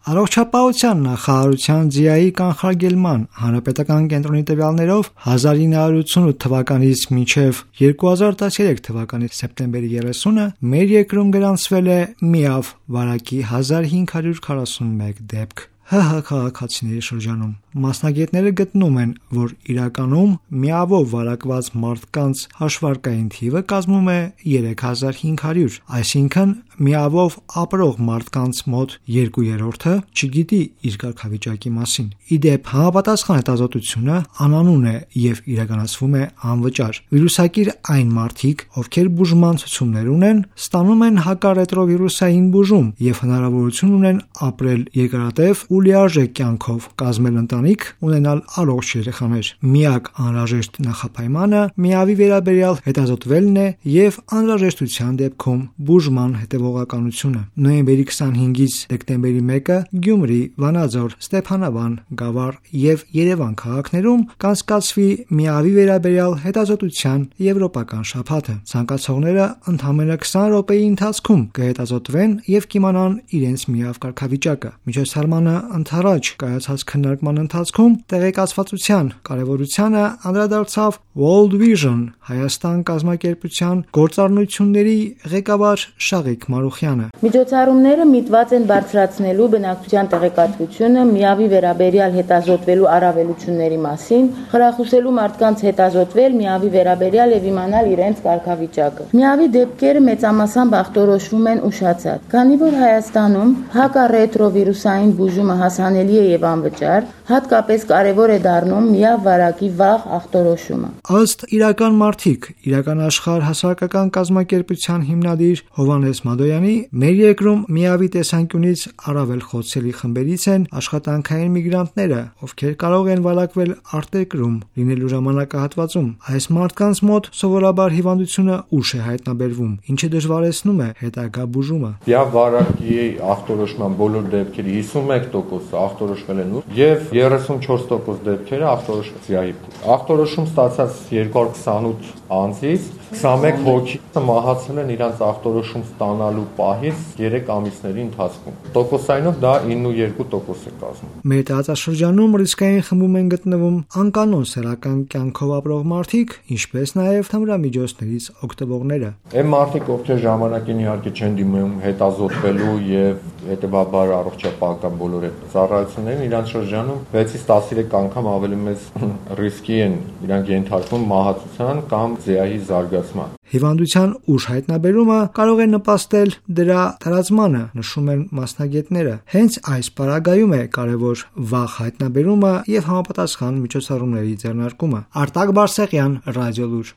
Առողջապահության նախարարության ՁԻԱ-ի կանխարգելման հանրապետական կենտրոնի տվյալներով 1988 թվականից մինչև 2013 թվականի սեպտեմբերի 30-ը մեր երկրում գրանցվել է միավ վարակի 1541 դեպք ՀՀ քաղաքացիների շրջանում։ Մասնագետները գտնում են, որ իրականում միավով վարակված մարդկանց հաշվարկային թիվը կազմում է 3500, այսինքն միավով ապրող մարդկանց մոտ 2/3-ը չգիտի իր կարգավիճակի մասին։ Ի դեպ, համապատասխան հետազոտությունը անանուն է եւ իրականացվում է անվճար։ Վիրուսակիր այն մարդիկ, ովքեր բուժման ցուցումներ ունեն, ստանում են հակառետրովիրուսային բուժում եւ հնարավորություն ունեն ապրել երկարատև ու լիարժեք կյանքով, կազմել ընտանիք, ունենալ առողջ երեխաներ։ Միակ անհրաժեշտ նախապայմանը միավի վերաբերյալ հետազոտվելն է եւ անհրաժեշտության դեպքում բուժման հետեւողականությունը։ Նոյեմբերի 25-ից դեկտեմբերի 1-ը Գյումրի, Վանաձոր, Ստեփանավան, Գավառ եւ Երևան քաղաքներում կանցկացվի միավի վերաբերյալ հետազոտության եվրոպական շաբաթը։ Ցանկացողները ընդամենը 20 րոպեի ընթացքում կհետազոտվեն եւ կիմանան իրենց միավ կարգավիճակը։ Միջոցառմանը ընդառաջ կայացած քննարկման ընթացքում տեղեկացվածության կարևորությանը անդրադարձավ World Vision Հայաստան կազմակերպության գործառնությունների ղեկավար Շաղիկ Մարուխյանը։ Միջոցառումները միտված են բարձրացնելու բնակչության տեղեկատվությունը միավի վերաբերյալ հետազոտվելու առավելությունների մասին, խրախուսելու մարդկանց հետազոտվել միավի վերաբերյալ եւ իմանալ իրենց կարգավիճակը։ Միավի դեպքերը մեծամասամբ ախտորոշվում են ուշացած, քանի որ Հայաստանում հակառետրովիրուսային բուժումը հասանելի է եւ անվճար, հատկապես կարևոր է դառնում միավ վարակի վաղ ախտորոշումը։ Ըստ իրական մարդիկ, իրական աշխարհ հասարակական կազմակերպության հիմնադիր Հովհաննես Մադոյանի, մեր երկրում միավի տեսանկյունից առավել խոցելի խմբերից են աշխատանքային միգրանտները, ովքեր կարող են վարակվել արտերկրում լինելու ժամանակահատվածում։ Այս մարդկանց մոտ սովորաբար հիվանդությունը ուշ է հայտնաբերվում, ինչը դժվարեցնում է հետագա բուժումը։ Միավ վարակի ախտորոշման բոլոր դեպքերի 51% ախտորոշվել են եւ 34% դեպքերը ախտորոշվել ԶԻԱ-ի։ Ախտորոշում ստացած 228 անձից 21 հոգի մահացել են իրանց ախտորոշում ստանալու պահից 3 ամիսների ընթացքում։ Տոկոսայնով դա 92% է կազմում։ Մեր տարածաշրջանում ռիսկային խմբում են գտնվում անկանոն սեռական կյանքով ապրող մարդիկ, ինչպես նաեւ թմրամիջոցներից օգտվողները։ Այն մարդիկ, ովքեր ժամանակին իհարկե չեն դիմում հետազոտվելու եւ հետեւաբար առողջապահական բոլոր այդ ծառայություններին, իրանց շրջանում 6-ից 13 անգամ ավելի մեծ ռիսկի են իրանք ենթարկվում մահացության կամ ԶԻԱ-ի զարգացման։ Հիվանդության ուշ հայտնաբերումը կարող է նպաստել դրա տարածմանը, նշում են մասնագետները։ Հենց այս պարագայում է կարևոր վաղ հայտնաբերումը եւ համապատասխան միջոցառումների ձեռնարկումը։ Արտակ Բարսեղյան, Ռադիոլուր։